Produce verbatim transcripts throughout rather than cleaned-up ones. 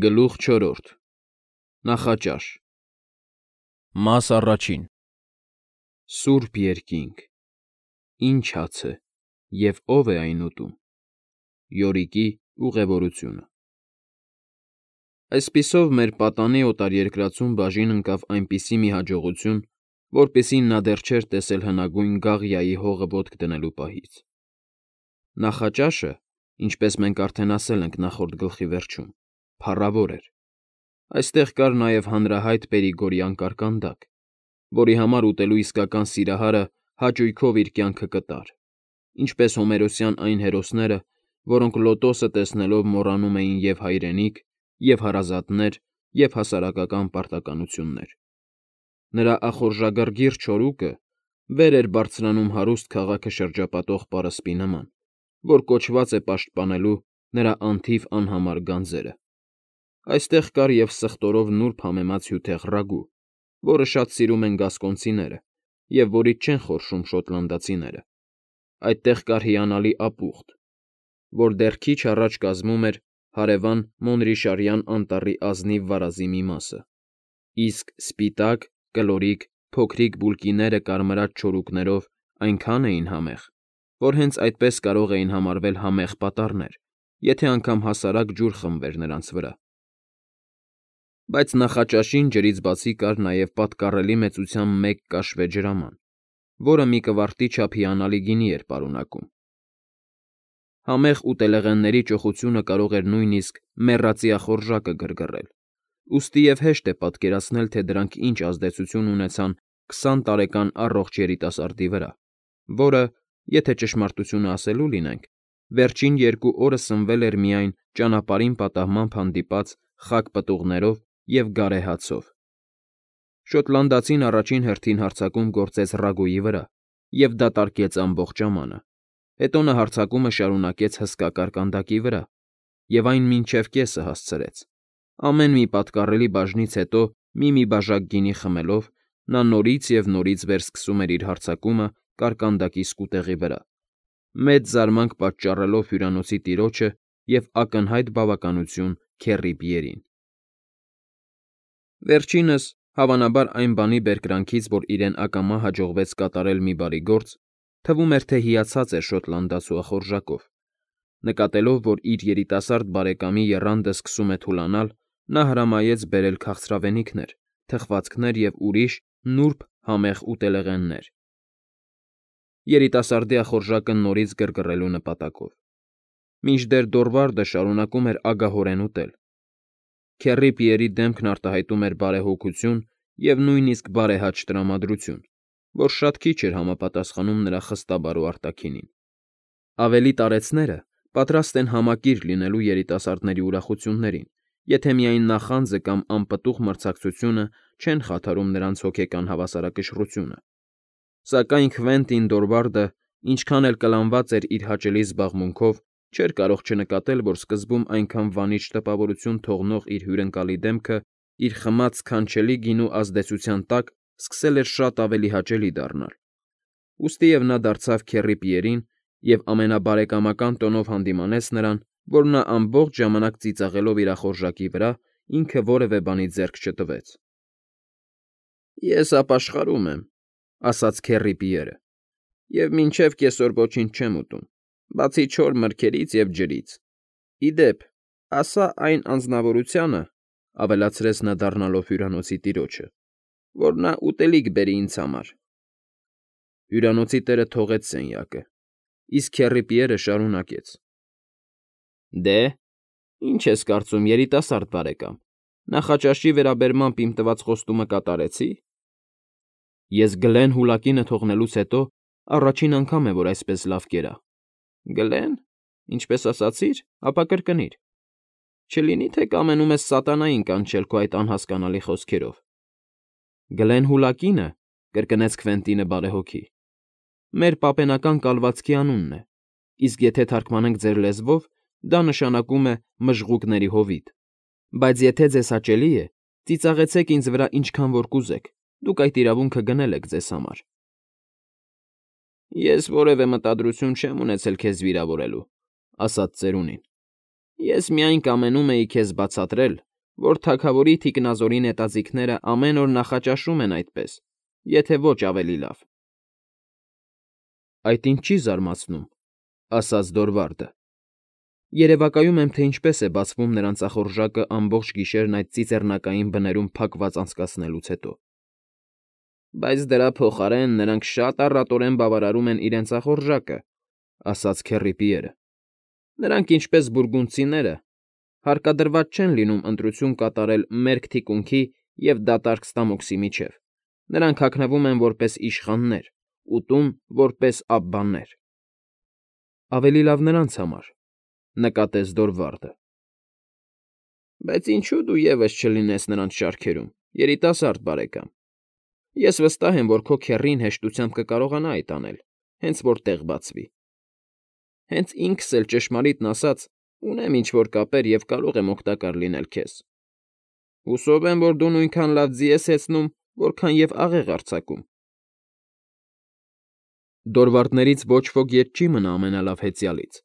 Գլուխ չորրորդ Նախաճաշ Մաս առաջին Սուրբ երկինք, ի՞նչ հաց է, և ո՞վ է այն ուտում։ Յորիկի ուղևորությունը Այսպիսով մեր պատանի օտարերկրացուն բաժին ընկավ այնպիսի մի հաջողություն, որպիսին նա դեռ չէր տեսել հնագույն Գաղիայի հողը ոտք դնելու պահից։ Նախաճաշը, ինչպես մենք արդեն ասել ենք նախորդ գլխի վերջում, փառավոր էր։ Այստեղ կար նաև հանրահայտ պերիգորյան կարկանդակ, որի համար ուտելու իսկական սիրահարը հաճույքով իր կյանքը կտար, ինչպես հոմերոսյան այն հերոսները, որոնք լոտոսը տեսնելով մոռանում էին և հայրենիք, և հարազատներ, և հասարակական պարտականություններ։ Նրա ախորժակռգիռ չորուկը վեր էր բարձրանում հարուստ քաղաքը շրջապատող պարսպի նման, որ կոչված է պաշտպանելու նրա անթիվ անհամար գանձերը։ Այստեղ կար և սխտորով նուրբ համեմած հյութեղ ռագու, որը շատ սիրում են գասկոնցիները և որից չեն խորշում շոտլանդացիները։ Այդտեղ կար հիանալի ապուխտ, որ դեռ քիչ առաջ կազմում էր հարևան Մոնրիշարյան անտառի ազնիվ վարազի մի մասը, իսկ սպիտակ, կլորիկ, փոքրիկ բուլկիները կարմրած չորուկներով այնքան էին համեղ, որ հենց այդպես կարող էին համարվել համեղ պատառներ, եթե անգամ հասարակ ջուր խմվեր նրանց վրա։ Բայց նախաճաշին ջրից բացի կար նաև պատկառելի մեծությամբ մեկ կաշվե ջրաման, որը մի կվարտի չափ հիանալի գինի էր պարունակում։ Համեղ ուտելեղենների ճոխությունը կարող էր նույնիսկ մեռածի ախորժակը գրգռել, ուստի և հեշտ է պատկերացնել, թե դրանք ինչ ազդեցություն ունեցան քսան տարեկան առողջ երիտասարդի վրա, որը, եթե ճշմարտությունը ասելու լինենք, վերջին երկու օրը սնվել էր միայն ճանապարհին պատահմամբ հանդիպած խաք պտուղներով և գարեհացով։ Շոտլանդացին առաջին հերթին հարձակում գործեց ռագուի վրա և դատարկեց ամբողջ ամանը, հետո նա հարձակումը շարունակեց հսկա կարկանդակի վրա և այն մինչև կեսը հասցրեց։ Ամեն մի պատկառելի բաժնից հետո մի֊մի բաժակ գինի խմելով՝ նա նորից և նորից վերսկսում էր իր հարձակումը կարկանդակի սկուտեղի վրա, մեծ զարմանք պատճառելով հյուրանոցի տիրոջը և ակնհայտ բավականություն Քեռի Պիերին։ Վերջինս, հավանաբար այն բանի բերկրանքից, որ իրեն ակամա հաջողվեց կատարել մի բարի գործ, թվում էր, թե հիացած էր շոտլանդացու ախորժակով։ Նկատելով, որ իր երիտասարդ բարեկամի եռանդը սկսում է թուլանալ, նա հրամայեց բերել քաղցրավենիքներ, թխվածքներ և ուրիշ նուրբ համեղ ուտելեղեններ՝ երիտասարդի ախորժակը նորից գրգռելու նպատակով։ Մինչդեռ Դորվարդը շարունակում էր ագահորեն ուտել, Քեռի Պիերի դեմքն արտահայտում էր բարեհոգություն և նույնիսկ բարեհաճ տրամադրություն, որ շատ քիչ էր համապատասխանում նրա խստաբարո արտաքինին։ Ավելի տարեցները պատրաստ են համակիր լինելու երիտասարդների ուրախություններին, եթե միայն նախանձը կամ անպտուղ մրցակցությունը չեն խաթարում նրանց հոգեկան հավասարակշռությունը։ Սակայն Քվենտին Դորվարդը, ինչքան էլ կլանված էր իր հաճելի զբաղմունքով, չէր կարող չնկատել, որ սկզբում այնքան վանիչ տպավորություն թողնող իր հյուրընկալի դեմքը իր խմած սքանչելի գինու ազդեցության տակ սկսել էր շատ ավելի հաճելի դառնալ։ Ուստիև նա դարձավ Քեռի Պիերին և ամենաբարեկամական տոնով հանդիմանեց նրան, որ նա ամբողջ ժամանակ ծիծաղելով իր ախորժակի վրա ինքը որևէ բանից ձեռք չտվեց։ ֊ Ես ապաշխարում եմ,֊ ասաց Քեռի Պիերը,֊ և մինչև կեսօր ոչինչ չեմ ուտում, բացի չոր մրգերից և ջրից։ Ի դեպ, ասա այն անձնավորությանը,֊ ավելացրեց նա դառնալով հյուրանոցի տիրոջը,֊ որ նա ուտելիք բերի ինձ համար։ Հյուրանոցի տերը թողեց սենյակը, իսկ Քեռի Պիերը շարունակեց. «Դե, ի՞նչ ես կարծում, երիտասարդ բարեկամ, նախաճաշի վերաբերմամբ իմ տված խոստումը կատարեցի՞։ Ես Գլեն Հուլակինը թողնելուց հետո առաջին անգամ է, որ այսպես լավ կերա։ Գլե՞ն, ինչպես ասացիր, ապա կրկնիր։ Չլինի՞ թե կամենում ես սատանային կանչել քո այդ անհասկանալի խոսքերով։ ֊ Գլեն Հուլակինը,֊ կրկնեց Քվենտինը բարեհոգի,֊ մեր պապենական կալվածքի անունն է, իսկ եթե թարգմանենք ձեր լեզվով, դա նշանակում է Մժղուկների հովիտ, բայց եթե ձեզ հաճելի է, ծիծաղեցեք ինձ վրա ինչքան որ կուզեք, դուք այդ իրավունքը գնել եք ձեզ համար։ ֊ Ես որևէ մտադրություն չեմ ունեցել քեզ վիրավորելու,֊ ասաց ծերունին։ Ես միայն կամենում էի քեզ բացատրել, որ թագավորի թիկնազորի նետաձիգները ամեն օր նախաճաշում են այդպես, եթե ոչ ավելի լավ։ ֊ Այդ ինձ չի զարմացնում,֊ ասաց Դորվարդը։ Երևակայում եմ, թե ինչպես է բացվում նրան ծախորժակը ամբողջ գիշերն այդ ծիծեռնակային բներում փակված անցկացնելուց հետո։ Բայց դրա փոխարեն նրանք շատ առատորեն բավարարում են իրենց ախորժակը,֊ ասաց Քեռի Պիերը։ Նրանք, ինչպես բուրգունդցիները, հարկադրված չեն լինում ընտրություն կատարել մերկ թիկունքի և դատարկ ստամոքսի միջև. նրանք հագնվում են որպես իշխաններ, ուտում որպես աբբաներ։ ֊ Ավելի լավ նրանց համար,֊ նկատեց Դորվարդը։ ֊ Բայց ինչո՞ւ դու ևս չլինես նրանց շարքերում, երիտասարդ բարեկամ։ Ես վստահ եմ, որ քո քեռին հեշտությամբ կկարողանա այդ անել, հենց որ տեղ բացվի։ Հենց ինքս էլ, ճշմարիտն ասած, ունեմ ինչ֊որ կապեր և կարող եմ օգտակար լինել քեզ։ Հուսով եմ, որ դու նույնքան լավ ձի ես հեծնում, որքան և աղեղ արձակում։ Դորվարդներից ոչ ոք ետ չի մնա ամենալավ հեծյալից։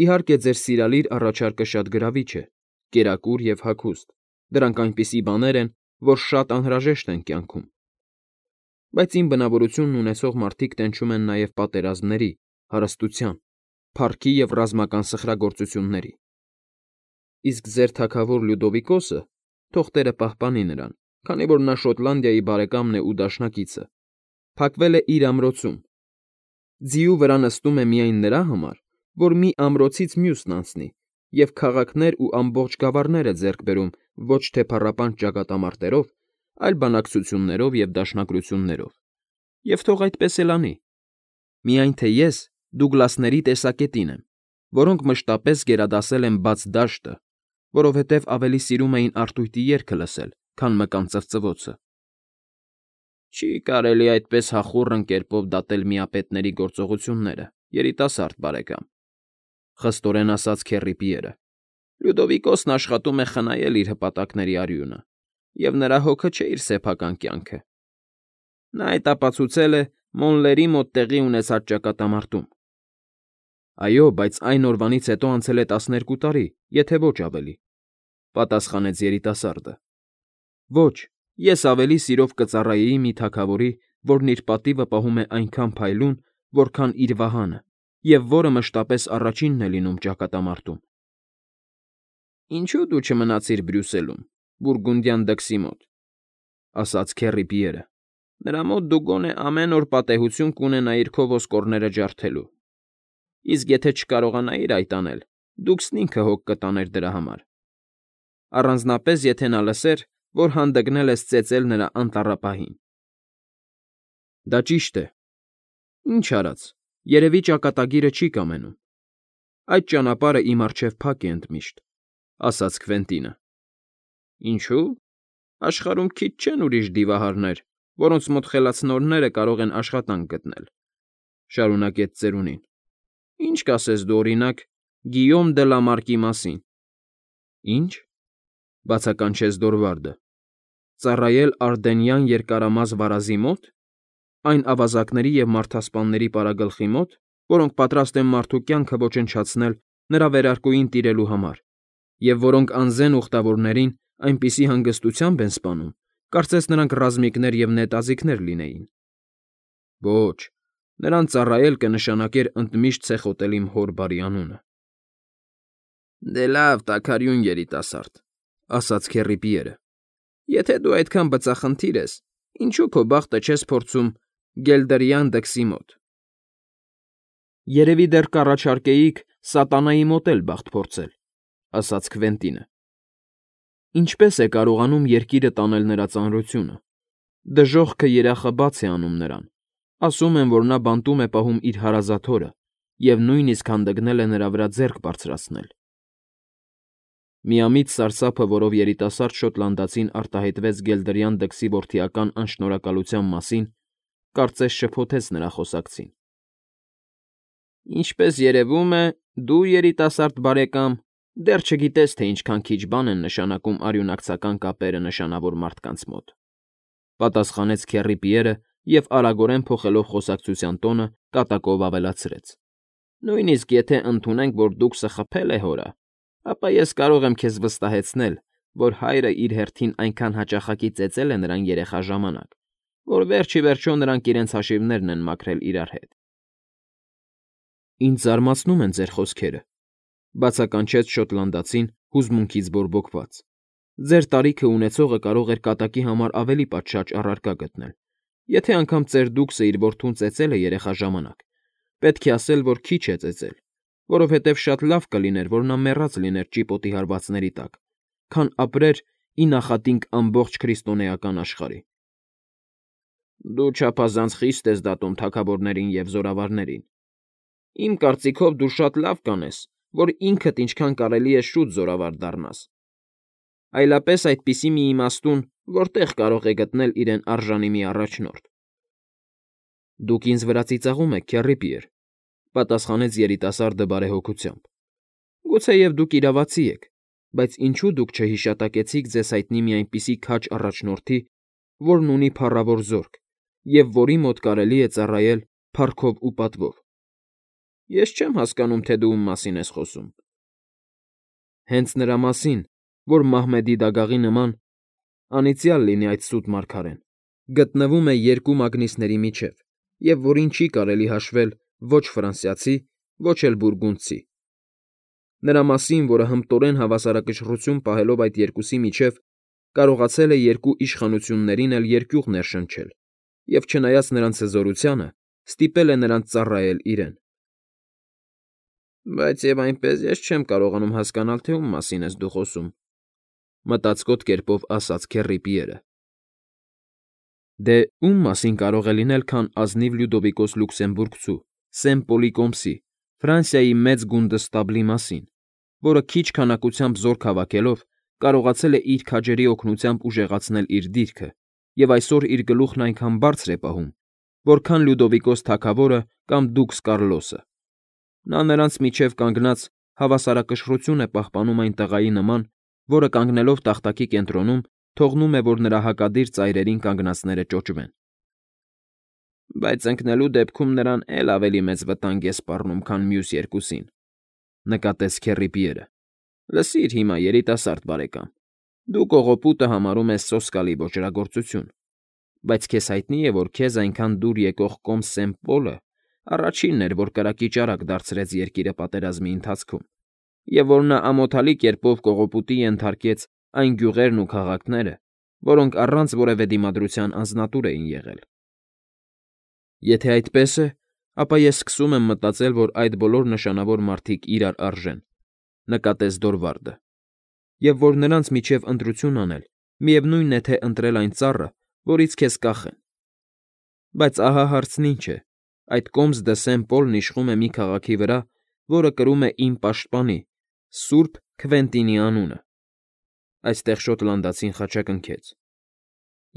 Իհարկե, ձեր սիրալիր առաջարկը շատ գրավիչ է, կերակուր և հագուստ, դրանք այնպիսի բաներ են, որ շատ անհրաժեշտ են կյանքում։ Բայց իմ բնավորությունն ունեցող մարդիկ տենչում են նաև պատերազմների, հարստության, փառքի և ռազմական սխրագործությունների։ Իսկ ձեր թագավոր Լյուդովիկոսը, թող տերը պահպանի նրան, քանի որ նա Շոտլանդիայի բարեկամն է ու դաշնակիցը, փակվել է իր ամրոցում։ Ձիու վրա նստում է միայն նրա համար, որ մի ամրոցից մյուսն անցնի և քաղաքներ ու ամբողջ գավառներ է ձեռք բերում ոչ թե փառապանջ ճակատամարտերով, այլ բանակցություններով և դաշնակցություններով։ Եվ թող այդպես էլ անի։ Միայն թե ես Դուգլասների տեսակետին եմ, որոնք մշտապես գերադասել են բաց դաշտը, որովհետև ավելի սիրում էին արհույտի երգը լսել, քան մկան ծվծվոցը։ Չի կարելի այդպես հախուռն կերպով դատել միապետների գործողությունները, երիտասարդ բարեկամ,֊ խստորեն ասաց Քեռի Պիերը։ Լյուդովիկոսն աշխատում է խնայել իր հպատակների արյունը, և նրա հոգը չէ իր սեփական կյանքը։ Նա այդ ապացուցել է Մոնլերի մոտ տեղի ունեցած ճակատամարտում։ Այո, բայց այն օրվանից հետո անցել է տասներկու տարի, եթե ոչ ավելի,֊ պատասխանեց երիտասարդը։ Ոչ, ես ավելի սիրով կծառայեի մի թագավորի, որն իր պատիվը պահում է այնքան փայլուն, որքան իր վահանը, և որը մշտապես առաջինն է լինում ճակատամարտում։ Ինչո՞ւ դու չմնացիր Բրյուսելում, Բուրգունդյան դքսի մոտ,֊ ասաց Քեռի Պիերը։ Նրա մոտ դու գոնե ամեն օր պատեհություն կունենայիր քո ոսկորները ջարդելու։ Իսկ եթե չկարողանայիր այդ անել, Դուքսն ինքը հոգ կտաներ դրա համար, առանձնապես եթե նա լսեր, որ հանդգնել ես ծեծել նրա անտառապահին։ ֊ Դա ճիշտ է։ Ինչ արած, երևի ճակատագիրը չի կամենում։ Այդ ճանապարհը իմ առջև փակ է ընդմիշտ,֊ ասաց Քվենտինը։ ֊ Ինչո՞ւ։ Աշխարհում քիչ չեն ուրիշ դիվահարներ, որոնց մոտ խելացնորները կարող են աշխատանք գտնել,֊ շարունակեց ծերունին։ Ինչ կասես դու, օրինակ, Գիյոմ դը Լա Մարկի մասին։ ֊ Ի՞նչ,֊ բացականչեց Դորվարդը,֊ ծառայել Արդենյան երկարամազ վարազի մո՞տ, այն ավազակների և մարդասպանների պարագլխի մոտ, որոնք պատրաստ են մարդու կյանքը ոչնչացնել նրա վերարկուին տիրելու համար, և որոնք անզեն ուխտավորներին այնպիսի հանգստությամբ են սպանում, կարծես նրանք ռազմիկներ և նետաձիգներ լինեին։ Ոչ, նրան ծառայել կնշանակեր ընդմիշտ ցեխոտել իմ հոր բարի անունը։ ֊ Դե լավ, տաքարյուն երիտասարդ,֊ ասաց Քեռի Պիերը,֊ եթե դու այդքան բծախնդիր ես, ինչո՞ւ քո բախտը չես փորձում Գելդրյան դքսի մոտ։ ֊ Երևի դեռ կառաջարկեիք սատանայի մոտ էլ բախտ փորձել,֊ ասաց Քվենտինը։ Ինչպե՞ս է կարողանում երկիրը տանել նրա ծանրությունը։ Դժոխքը երախը բաց է անում նրան, ասում են, որ նա բանտում է պահում իր հարազատ հորը և նույնիսկ հանդգնել է նրա վրա ձեռք բարձրացնել։ Միամիտ սարսափը, որով երիտասարդ շոտլանդացին արտահայտվեց Գելդրյան դքսի որդիական անշնորհակալության մասին, կարծես շփոթեց նրա խոսակցին։ ֊ Ինչպես երևում է, դու, երիտասարդ բարեկամ, դեռ չգիտես, թե ինչքան քիչ բան են նշանակում արյունակցական կապերը նշանավոր մարդկանց մոտ,֊ պատասխանեց Քեռի Պիերը և, արագորեն փոխելով խոսակցության տոնը, կատակով ավելացրեց. Նույնիսկ եթե ընդունենք, որ Դուքսը խփել է հորը, ապա ես կարող եմ քեզ վստահեցնել, որ հայրը իր հերթին այնքան հաճախակի ծեծել է նրան երեխա ժամանակ, որ վերջ ի վերջո նրանք իրենց հաշիվներն են մաքրել իրար հետ։ Ինձ զարմացնում են ձեր խոսքերը, բացականչեց շոտլանդացին հուզմունքից բորբոքված։ Ձեր տարիքը ունեցողը կարող էր կատակի համար ավելի պատշաճ առարկա գտնել, եթե անգամ ծեր դուքսը իր որդուն ծեծել է երեխա ժամանակ, պետք է ասել, որ քիչ է ծեծել, որովհետև շատ լավ կլիներ, որ նա մեռած լիներ ճիպոտի հարվածների տակ, քան ապրեր ի նախատինք ամբողջ քրիստոնեական աշխարհի։ Դու չափազանց խիստ ես դատում թագավորներին և զորավարներին։ Իմ կարծիքով դու շատ լավ կանես, որ ինքդ ինչքան կարելի է շուտ զորավար դառնաս։ Այլապես այդպիսի մի իմաստուն որտեղ կարող է գտնել իրեն արժանի մի առաջնորդ։ Դուք ինձ վրա ծիծաղում եք, Քեռի Պիեր, պատասխանեց երիտասարդը բարեհոգությամբ։ Գուցեև դուք իրավացի եք, բայց ինչու դուք չհիշատակեցիք ձեզ հայտնի մի այնպիսի քաջ առաջնորդի, որն ունի փառավոր զորք, և որի մոտ կարելի է ծառայել փառքով ու պատվով։ Ես չեմ հասկանում, թե դու ում մասին ես խոսում։ Հենց նրա մասին, որ Մահմեդի դագաղի նման, անիծյալ լինի այդ սուտ մարգարեն, գտնվում է երկու մագնիսների միջև, և որին չի կարելի հաշվել ոչ ֆրանսիացի, ոչ էլ բուրգունդցի։ Նրա մասին, որը հմտորեն հավասարակշռություն պահելով այդ երկուսի միջև, կարողացել է երկու իշխանություններին էլ երկյուղ ներշնչել և, չնայած նրանց հզորությանը, ստիպել է նրանց ծառայել իրեն։ Բայց և այնպես ես չեմ կարողանում հասկանալ, թե ում մասին ես դու խոսում, մտածկոտ կերպով ասաց Քեռի Պիերը։ Դե, ում մասին կարող է լինել, քան ազնիվ Լյուդովիկոս Լյուքսեմբուրգցու, Սեն Պոլի կոմսի, Ֆրանսիայի մեծ գունդստաբլի մասին, որը քիչ քանակությամբ զորք հավաքելով կարողացել է իր քաջերի օգնությամբ ուժեղացնել իր դիրքը և այսօր իր գլուխն այնքան բարձր է պահում, որքան Լյուդովիկոս թագավորը կամ դուքս Կարլոսը։ Նա նրանց միջև կանգնած հավասարակշռություն է պահպանում այն տղայի նման, որը կանգնելով տախտակի կենտրոնում թողնում է, որ նրա հակադիր ծայրերին կանգնածները ճոճվեն։ Բայց ընկնելու դեպքում նրան էլ ավելի մեծ վտանգ է սպառնում, քան մյուս երկուսին, նկատեց Քեռի Պիերը։ Լսիր հիմա, երիտասարդ բարեկամ, դու կողոպուտը համարում ես սոսկալի ոճրագործություն, բայց քեզ հայտնի է, որ քեզ այնքան դուր եկող կոմս Սեն Պոլը առաջինն էր, որ կրակի ճարակ դարձրեց երկիրը պատերազմի ընթացքում, և որ նա ամոթալի կերպով կողոպուտի ենթարկեց այն գյուղերն ու քաղաքները, որոնք առանց որևէ դիմադրության անձնատուր էին եղել։ Եթե այդպես է, ապա ես սկսում եմ մտածել, որ այդ բոլոր նշանավոր մարդիկ իրար արժեն, նկատեց Դորվարդը, և որ նրանց միջև ընտրություն անել, միևնույն է, թե ընտրել այն ծառը, որից քեզ կախեն։ Բայց ահա հարցն ինչ է. այդ կոմս դը Սեն Պոլն իշխում է մի քաղաքի վրա, որը կրում է իմ պաշտպանի՝ Սուրբ Քվենտինի անունը։ Այստեղ շոտլանդացին խաչակնքեց։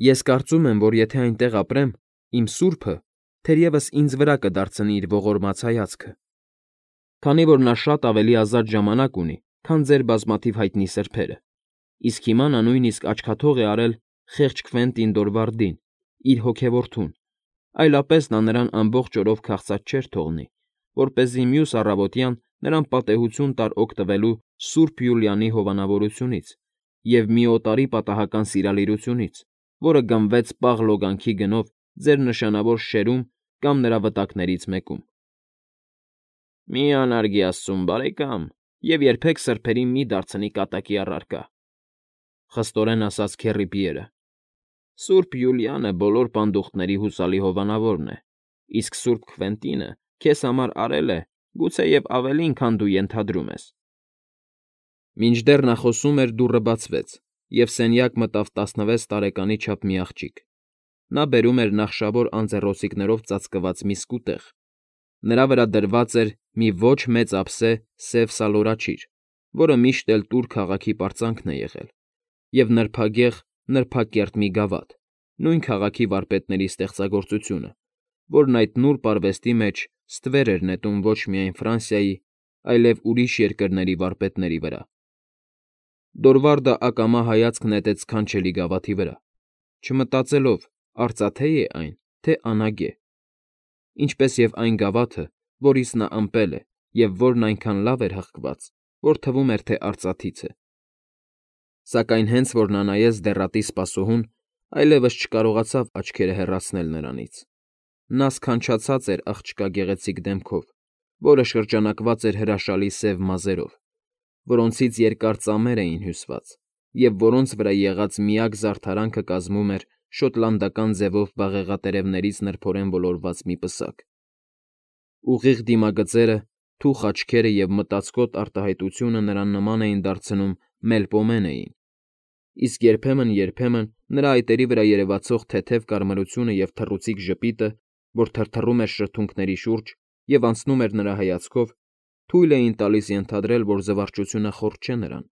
Ես կարծում եմ, որ եթե այնտեղ ապրեմ, իմ սուրբը թերևս ինձ վրա կդարձնի իր ողորմած հայացքը, քանի որ նա շատ ավելի ազատ ժամանակ ունի, քան ձեր բազմաթիվ հայտնի սրբերը, իսկ հիմա նա նույնիսկ աչքաթող է արել խեղճ Քվենտին Դորվարդին, իր հոգևորթուն, այլապես նա նրան ամբողջ օրով քաղցած չէր թողնի, որպեսզի մյուս առավոտյան նրան պատեհություն տար օգտվելու Սուրբ Յուլիանի հովանավորությունից և մի օտարի պատահական սիրալիրությունից, որը գնվեց պաղ լոգանքի գնով ձեր նշանավոր շերում կամ նրա վտակներից մեկում։ Մի անարգի աստծուն, բարեկամ, և երբեք սրբերին մի դարձնի կատակի առարկա, խստորեն ասաց Քեռի Պիերը։ Սուրբ Յուլիանը բոլոր պանդուխտների հուսալի հովանավորն է, իսկ Սուրբ Քվենտինը քեզ համար արել է գուցեև ավելին, քան դու ենթադրում ես։ Մինչդեռ նա խոսում էր, դուռը բացվեց, և սենյակ մտավ տասնվեց տարեկանի չափ մի աղջիկ։ Նա բերում էր նախշավոր անձեռոցիկներով ծածկված մի սկուտեղ։ Նրա վրա դրված էր մի ոչ մեծ ափսե սև սալորաչիր, որը միշտ էլ Տուր քաղաքի պարծանքն է եղել, և նրբագեղ, նրբակերտ մի գավաթ, նույն քաղաքի վարպետների ստեղծագործությունը, որն այդ նուրբ արվեստի մեջ ստվեր էր նետում ոչ միայն Ֆրանսիայի, այլև ուրիշ երկրների վարպետների վրա։ Դորվարդը ակամա հայացք նետեց սքանչելի գավաթի վրա, չմտածելով, արծաթե՞ է այն, թե անագե, ինչպես և այն գավաթը, որից նա ըմպել է և որն այնքան լավ էր հղկված, որ թվում էր, թե արծաթից է։ Սակայն հենց որ նա նայեց դեռատի սպասուհուն, այլևս չկարողացավ աչքերը հեռացնել նրանից։ Նա սքանչացած էր աղջկա գեղեցիկ դեմքով, որը շրջանակված էր հրաշալի սև մազերով, որոնցից երկար ծամեր էին հյուսված, և որոնց վրա եղած միակ զարդարանքը կազմում էր շոտլանդական ձևով բաղեղատերևներից նրբորեն ոլորված մի պսակ։ Ուղիղ դիմագծերը, թուխ աչքերը և մտածկոտ արտահայտությունը նրան նման էին դարձնում Մելպոմենեին, իսկ երբեմն֊երբեմն նրա այտերի վրա երևացող թեթև կարմրությունը և թռուցիկ ժպիտը, որ թրթռում էր շրթունքների շուրջ և անցնում էր նրա հայացքով, թույլ էին տալիս ենթադրել, որ զվարճությունը խորտ չէ նրան,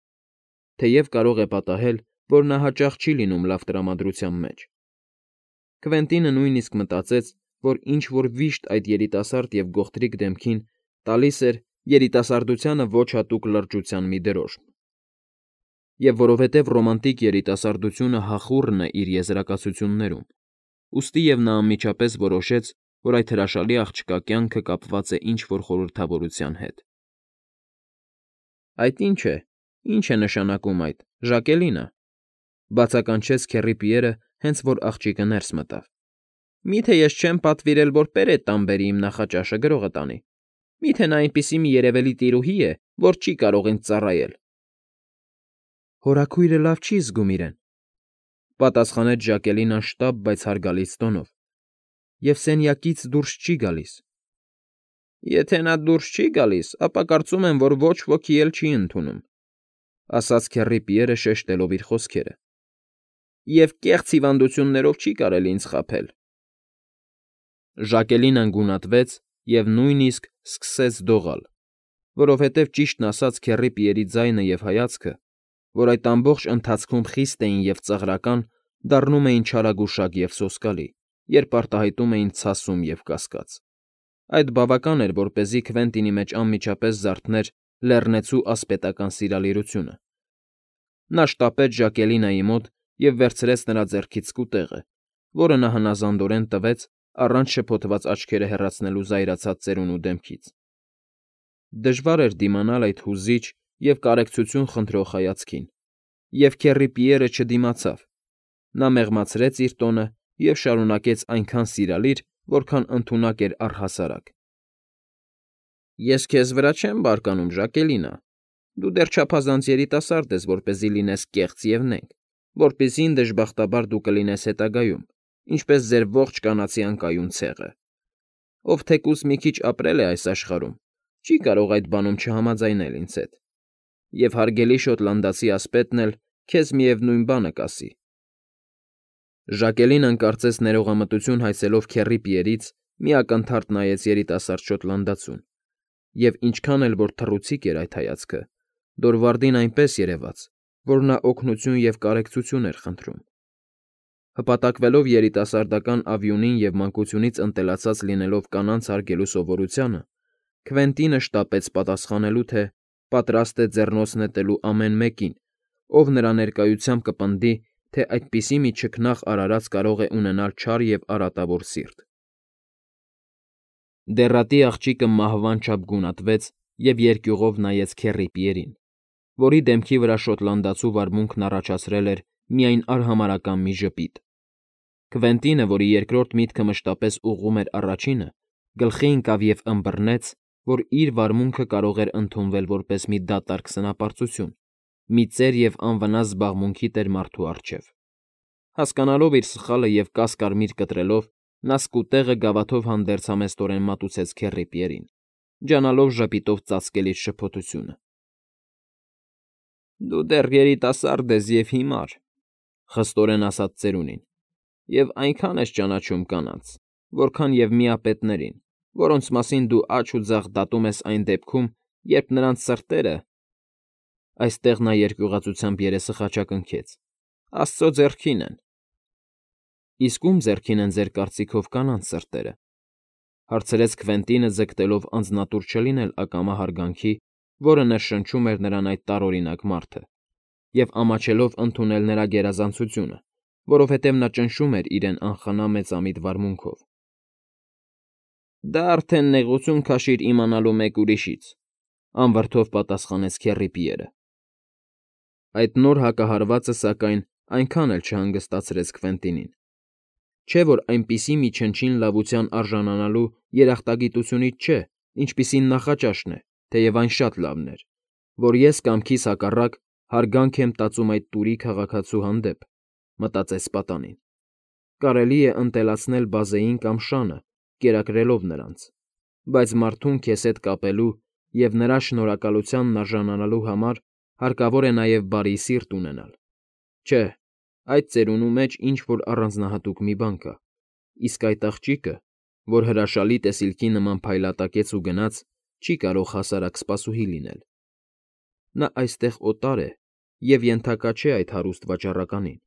թեև կարող է պատահել, որ նա հաճախ չի լինում լավ տրամադրության մեջ։ Քվենտինը նույնիսկ մտածեց, որ ինչ֊որ վիշտ այդ երիտասարդ և գողտրիկ դեմքին տալիս էր երիտասարդությանը ոչ հատուկ լրջության մի դրոշմ։ Եվ որովհետև ռոմանտիկ երիտասարդությունը հախուռն է իր եզրակացություններում, ուստիև նա անմիջապես որոշեց, որ այդ հրաշալի աղջկա կյանքը կապված է ինչ֊որ խորհրդավորության հետ։ ֊ Այդ ի՞նչ է, ի՞նչ է նշանակում այդ, Ժակելինը,֊ բացականչեց Քեռի Պիերը, հենց որ աղջիկը ներս մտավ։ ֊ Մի՞թե ես չեմ պատվիրել, որ պերետ տամ բերի իմ նախաճաշը գրողը տանի։ Մի՞թե նա այնպիսի մի երևելի տիրուհի է, որ չի կարող ինձ ծառայել։ ֊ Հորաքույրը լավ չի զգում իրեն,֊ պատասխանեց Ժակելինան շտապ, բայց հարգալից տոնով,֊ և սենյակից դուրս չի գալիս։ ֊ Եթե նա դուրս չի գալիս, ապա կարծում եմ, որ ոչ ոքի էլ չի ընդունում,֊ ասաց Քեռի Պիերը շեշտելով իր խոսքերը,֊ և կեղծ հիվանդություններով չի կարելի ինձ խաբել։ Ժակելինան գունատվեց և նույնիսկ սկսեց դողալ, որովհետև, ճիշտն ասած, Քեռի Պիերի ձայնը և հայացքը, որ այդ ամբողջ ընթացքում խիստ էին և ծաղրական, դառնում էին չարագուշակ և սոսկալի, երբ արտահայտում էին ցասում և կասկած։ Այդ բավական էր, որպեսզի Քվենտինի մեջ անմիջապես զարթներ լեռնեցու ասպետական սիրալիրությունը։ Նա շտապեց Ժակելինայի մոտ և վերցրեց նրա ձեռքից սկուտեղը, որը նա հնազանդորեն տվեց, առանց շփոթված աչքերը հեռացնելու զայրացած ծերունու դեմքից։ Դժվար էր դիմանալ այդ հուզիչ և կարեկցություն խնդրող հայացքին, և Քեռի Պիերը չդիմացավ։ Նա մեղմացրեց իր տոնը և շարունակեց այնքան սիրալիր, որքան ընդունակ էր առհասարակ. ֊ Ես քեզ վրա չեմ բարկանում, Ժակելինա, դու դեռ չափազանց երիտասարդ ես, որպեսզի լինես կեղծ և նենգ, որպիսի, դժբախտաբար, դու կլինես հետագայում, ինչպես ձեր ողջ կանացի անկայուն ցեղը, ով թեկուզ մի քիչ ապրել է այս աշխարհում, չի կարող այդ բանում չհամաձայնել ինձ հետ, և հարգելի շոտլանդացի ասպետն էլ քեզ միևնույն բանը կասի։ Ժակելինան կարծես ներողամտություն հայցելով Քեռի Պիերից, մի ակնթարթ նայեց երիտասարդ շոտլանդացուն, և ինչքան էլ որ թռուցիկ էր այդ հայացքը, Դորվարդին այնպես երևաց, որ նա օգնություն և կարեկցություն էր խնդրում։ Հպատակվելով երիտասարդական արյունին և մանկությունից ընտելացած լինելով կանանց հարգելու սովորությանը, Քվենտինը շտապեց պատասխանելու, թե պատրաստ է ձեռնոց նետելու ամեն մեկին, ով նրա ներկայությամբ կպնդի, թե այդպիսի մի չքնաղ արարած կարող է ունենալ չար և արատավոր սիրտ։ Դեռատի աղջիկը մահվան չափ գունատվեց և երկյուղով նայեց Քեռի Պիերին, որի դեմքի վրա շոտլանդացու վարմունքն առաջացրել էր միայն արհամարհական մի ժպիտ։ Քվենտինը, որի երկրորդ միտքը մշտապես ուղղում էր առաջինը, գլխի ընկավ և ըմբռնեց, որ իր վարմունքը կարող էր ընդունվել որպես մի դատարկ սնապարծություն, մի ծեր և անվնաս զբաղմունքի տեր մարդու առջև։ Հասկանալով իր սխալը և կասկարմիր կտրելով, նա սկուտեղը գավաթով հանդերձ համեստորեն մատուցեց Քեռի Պիերին, ջանալով ժպիտով ծածկել իր շփոթությունը։ ֊ Դու դեռ երիտասարդ ես և հիմար,֊ խստորեն ասաց ծերունին,֊ և այնքան ես ճանաչում կանանց, որքան և միապետներին, որոնց մասին դու աջ ու ձախ դատում ես այն դեպքում, երբ նրանց սրտերը (այստեղ նա երկյուղածությամբ երեսը խաչակնքեց) աստծո ձեռքին են։ ֊ Իսկ ո՞ւմ ձեռքին են ձեր կարծիքով կանանց սրտերը,֊ հարցրեց Քվենտինը, ձգտելով անձնատուր չլինել ակամա հարգանքի, որը ներշնչում էր նրան այդ տարօրինակ մարդը, և ամաչելով ընդունել նրա գերազանցությունը, որովհետև նա ճնշում էր իրեն անխնա մեծամիտ վարմունքով։ ֊ Դա արդեն նեղություն քաշիր իմանալու մեկ ուրիշից,֊ Անվրդով պատասխանեց Քեռի Պիերը։ Այդ նոր հակահարվածը, սակայն, այնքան էլ չհանգստացրեց Քվենտինին։ Չէ՞ որ այնպիսի մի չնչին լավության արժանանալու երախտագիտությունից չէ, ինչպիսին նախաճաշն է, թեև այն շատ լավն էր, որ ես կամքիս հակառակ հարգանք եմ տածում այդ տուրի քաղաքացու հանդեպ, մտածեց պատանին։ Կարելի է ընտելացնել բազեին կամ շանը, կերակրելով նրանց, բայց մարդուն քեզ հետ կապելու և նրա շնորհակալությանն արժանանալու համար հարկավոր է նաև բարի սիրտ ունենալ։ Չէ, այդ ծերունու մեջ ինչ֊որ առանձնահատուկ մի բան կա, իսկ այդ աղջիկը, որ հրաշալի տեսիլքի նման փայլատակեց ու գնաց, չի կարող հասարակ սպասուհի լինել։ Նա այստեղ օտար է և ենթակա չէ այդ հարուստ վաճառականին,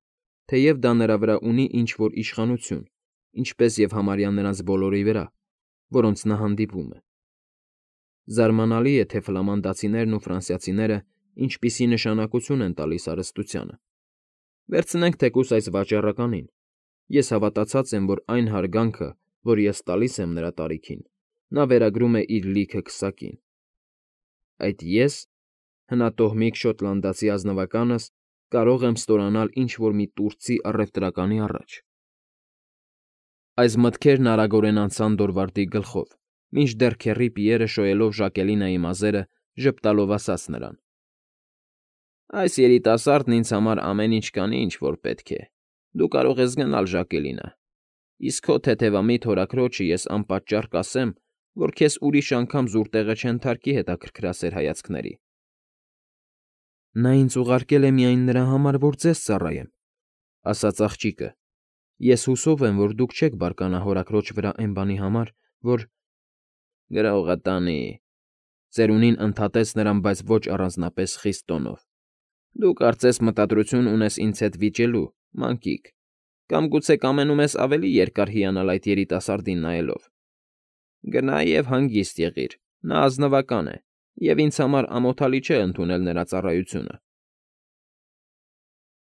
թեև դա նրա վրա ունի ինչ֊որ իշխանություն, ինչպես և համարյա նրանց բոլորի վրա, որոնց նա հանդիպում է։ Զարմանալի է, թե ֆլամանդացիներն ու ֆրանսիացիները ինչպիսի նշանակություն են տալիս հարստությանը։ Վերցնենք թեկուզ այս վաճառականին. ես հավատացած եմ, որ այն հարգանքը, որ ես տալիս եմ նրա տարիքին, նա վերագրում է իր լիքը քսակին։ Այդ ես՝ հնատոհմիկ շոտլանդացի ազնվականս, կարող եմ ստորանալ ինչ֊որ մի տուրցի առևտրականի առաջ։ Այս մտքերն արագորեն անցան Դորվալդի գլխով, մինչդեռ Քեռի Պիերը, շոյելով Ժակելինայի մազերը, ժպտալով ասաց նրան. Այս երիտասարդն ինձ համար ամեն ինչ կանի, ինչ որ պետք է։ Դու կարող ես գնալ, Ժակելինա, իսկ քո թեթևամիտ հորաքրոջը ես անպատճառ կասեմ, որ քեզ ուրիշ անգամ զուր տեղը չենթարկի հետաքրքրասեր հայացքների։ Նա ինձ ուղարկել է միայն նրա համար, որ ձեզ ծառայեմ, ասաց աղջիկը։ Ես հուսով եմ, որ դուք չեք բարկանա հորաքրոջ վրա էն բանի համար, որ… Գրողը տանի, ծերունին ընդհատեց նրան, բայց ոչ առանձնապես խիստ տոնով։ Դու կարծես մտադրություն ունես ինձ հետ վիճելու, մանկիկ, կամ գուցե կամենում ես ավելի երկար հիանալ այդ երիտասարդին նայելով։ Գնա և հանգիստ եղիր, նա ազնվական է, և ինձ համար ամոթալի չէ ընդունել նրա ծառայությունը։